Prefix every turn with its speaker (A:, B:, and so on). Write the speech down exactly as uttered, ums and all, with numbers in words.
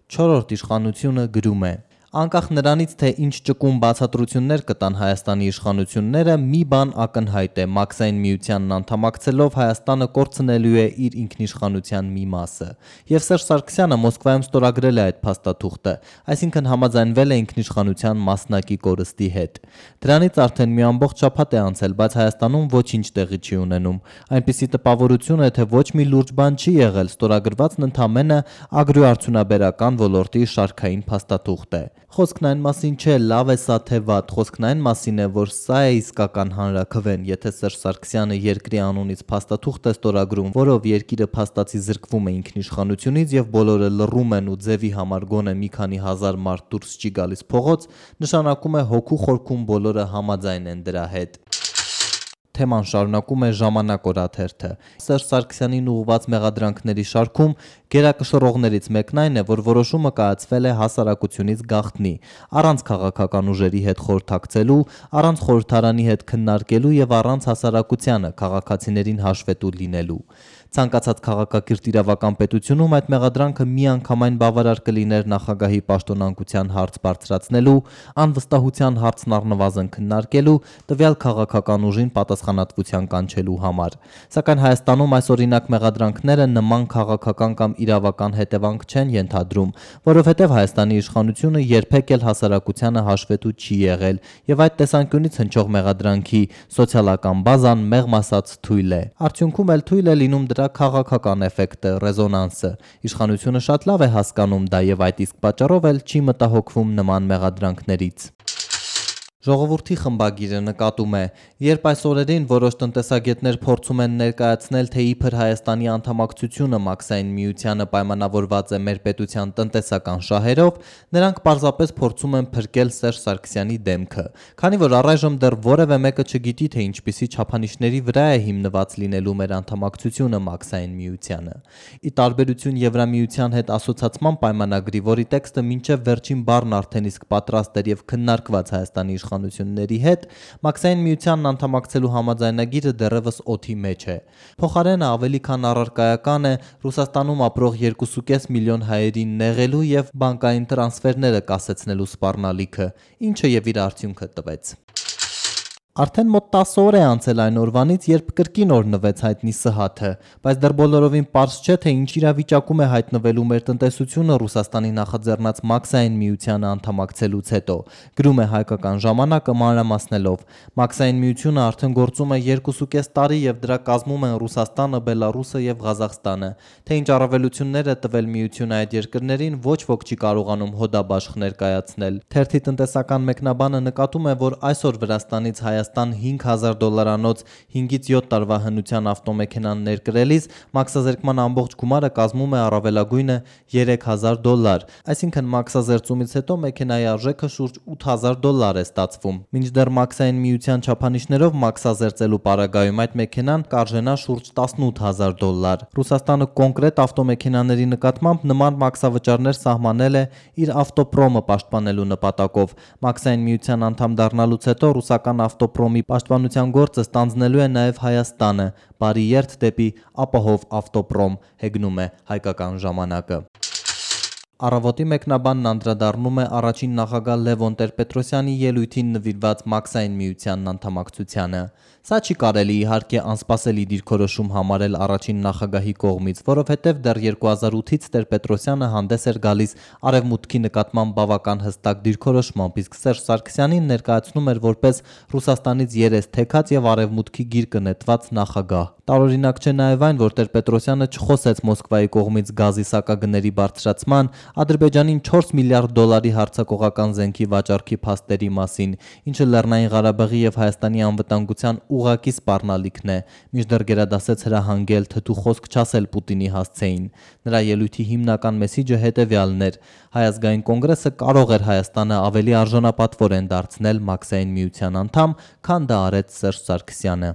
A: Չորրորդ իշխանությունը գրում է. Անկախ նրանից, թե ինչ ճկուն բացատրություններ կտան Հայաստանի իշխանությունները, մի բան ակնհայտ է՝ Մաքսային միությանն անդամակցելով Հայաստանը կորցնելու է իր ինքնիշխանության մի մասը։ Եվ Սերժ Սարգսյանը Մոսկվայում ստորագրել է այդ փաստաթուղթը, այսինքն համաձայնվել է ինքնիշխանության մասնակի կորստի հետ։ Դրանից արդեն մի ամբողջ շաբաթ է անցել, բայց Հայաստանում ոչինչ տեղի չի ունենում։ Այնպիսի տպավորություն է, թե ոչ մի լուրջ բան չի եղել, ստորագրվածն ընդամենը ագրոարդյունաբերական ոլորտի շարքային փաստաթուղթ է։ Խոսքն այն մասին չէ՝ լավ է սա թե վատ, խոսքն այն մասին է, որ սա է իսկական հանրաքվեն, եթե Սերժ Սարգսյանը երկրի անունից փաստաթուղթ է ստորագրում, որով երկիրը փաստացի զրկվում է ինքնիշխանությունից եւ բոլորը լռում են ու ձևի համար գոնե մի քանի հազար մարդ դուրս չի գալիս փողոց, նշանակում է հոգու խորքում բոլորը համաձայն են դրա հետ։ Թեման շարունակում է Ժամանակ օրաթերթը։ Սերժ Սարգսյանին ուղղված մեղադրանքների շարքում գերակշռողներից մեկն այն է, որ որոշումը կայացվել է հասարակությունից գաղտնի, առանց քաղաքական ուժերի հետ խորհրդակցելու, առանց խորհրդարանի հետ քննարկելու եւ առանց հասարակությանը, քաղաքացիներին հաշվետու լինելու։ Ցանկացած քաղաքակիրթ իրավական պետությունում այդ մեղադրանքը միանգամայն բավարար կլիներ նախագահի պաշտոնանկության հարց բարձրացնելու, անվստահության հարցն առնվազն քննարկելու, տվյալ քաղաքական ուժին պատասխանատվության կանչելու համար։ Սակայն Հայաստանում այս օրինակ մեղադրանքները նման քաղաքական կամ իրավական հետևանք չեն ենթադրում, որովհետև Հայաստանի իշխանությունը երբեք էլ հասարակությանը հաշվետու չի եղել, եւ այդ տեսանկյունից հնչող մեղադրանքի սոցիալական բազան մեղմ ասած թույլ է։ Արդյունքում էլ թույլ է լինում դրա քաղաքական էֆեկտը, ռեզոնանսը։ Իշխանությունը շատ լավ է հասկանում դա եւ այդ իսկ պատճառով էլ չի մտահոգվում նման մեղադրանքներից։ Ժողովրդի խմբագիրը նկատում է. երբ այս օրերին որոշ տնտեսագետներ փորձում են ներկայացնել, թե իբր Հայաստանի անդամակցությունը Մաքսային միությանը պայմանավորված է մեր պետության տնտեսական շահերով, նրանք պարզապես փորձում են փրկել Սերժ Սարգսյանի դեմքը, քանի որ առայժմ դեռ որևէ մեկը չգիտի, թե ինչպիսի չափանիշների վրա է հիմնված լինելու մեր անդամակցությունը Մաքսային միությանը։ Ի տարբերություն Եվրամիության հետ ասոցացման պայմանագրի, որի տեքստը մինչև վերջին բառն արդեն իսկ պատրաստ էր եւ քննարկված Հայաստանի իշխանությունների հետ, Մաքսային միությանն անդամակցելու համաձայնագիրը դեռևս օդի մեջ է։ Փոխարենը ավելի քան առարկայական է Ռուսաստանում ապրող երկու կես միլիոն հայերին նեղելու եւ բանկային տրանսֆերները կասեցնելու սպառնալիքը, ինչը եւ իր արդյունքը տվեց։ Արդեն մոտ տասը օր է անցել այն օրվանից, երբ կրկին օրհնվեց հայտնի Սհաթը, բայց դեռ բոլորովին պարզ չէ, թե ինչ իրավիճակում է հայտնվելու մեր տնտեսությունը Ռուսաստանի նախաձեռնած Մաքսային միությանը անդամակցելուց հետո։ Գրում է Հայկական ժամանակը մանրամասնելով. Մաքսային միությունը արդեն գործում է երկու կես տարի եւ դրա կազմում են Ռուսաստանը, Բելարուսը եւ Ղազախստանը։ Թե ինչ առավելություններ է տվել միությունը այդ երկրներին, ոչ ոք չի կարողանում հոդաբաշխ ներկայացնել։ Թերթի տնտեսական մեկնաբանը նկատում է, որ այսօր Վրաստանից Հայաստան հինգ հազար դոլարանոց հինգից յոթ տարվա հնության ավտոմեքենան ներկրելիս մաքսազերկման ամբողջ գումարը կազմում է առավելագույնը երեք հազար դոլար, այսինքն մաքսազերծումից հետո մեքենայի արժեքը շուրջ ութ հազար դոլար է ստացվում։ Մինչդեռ Մաքսային միության չափանիշներով մաքսազերծելու պարագայում այդ մեքենան կարժենա շուրջ տասնութ հազար դոլար։ Ռուսաստանը կոնկրետ ավտոմեքենաների նկատմամբ նման մաքսավճարներ սահմանել է իր ավտոպրոմը պաշտպանելու նպատակով։ Մաքսային միության անդամ դառնալուց հետո ռուսական ավտոպրոմի պաշտպանության գործը ստանձնելու է նաև Հայաստանը։ Բարի երթ դեպի ապահով ավտոպրոմ, հեգնում է Հայկական ժամանակը։ Առավոտի մեկնաբանն անդրադառնում է առաջին նախագահ Լևոն Տեր-Պետրոսյանի ելույթին նվիրված Մաքսային միությանն անդամակցությանը։ Սա չի կարելի իհարկե անսպասելի դիրքորոշում համարել առաջին նախագահի կողմից, որովհետև դեռ երկու հազար ութից Տեր-Պետրոսյանը հանդես էր գալիս Արևմուտքի նկատմամբ բավական հստակ դիրքորոշմամբ, իսկ Սերժ Սարգսյանին ներկայացնում էր որպես Ռուսաստանից երես թեքած եւ Արևմուտքի գիրկը նետված նախագահ։ Տարօրինակ չէ նաև այն, որ Տեր-Պետրոսյանը չխոսեց Մոսկվայի կողմից գազի սակագների բարձրացման, Ադրբեջանին չորս միլիարդ դոլարի հարձակողական զենքի վաճառքի փաստերի մասին, ինչը Լեռնային Ղարաբաղի եւ Հայաստանի անվտանգության ուղղակի սպառնալիքն է, մինչդեռ գերադասեց հրահանգել թթու խոսք չասել Պուտինի հասցեին։ Նրա ելույթի հիմնական մեսիջը հետեւյալն էր. Հայ ազգային կոնգրեսը կարող էր Հայաստանը ավելի արժանապատվորեն դարձնել Մաքսային միության անդամ, քան դա արեց Սերժ Սարգսյանը։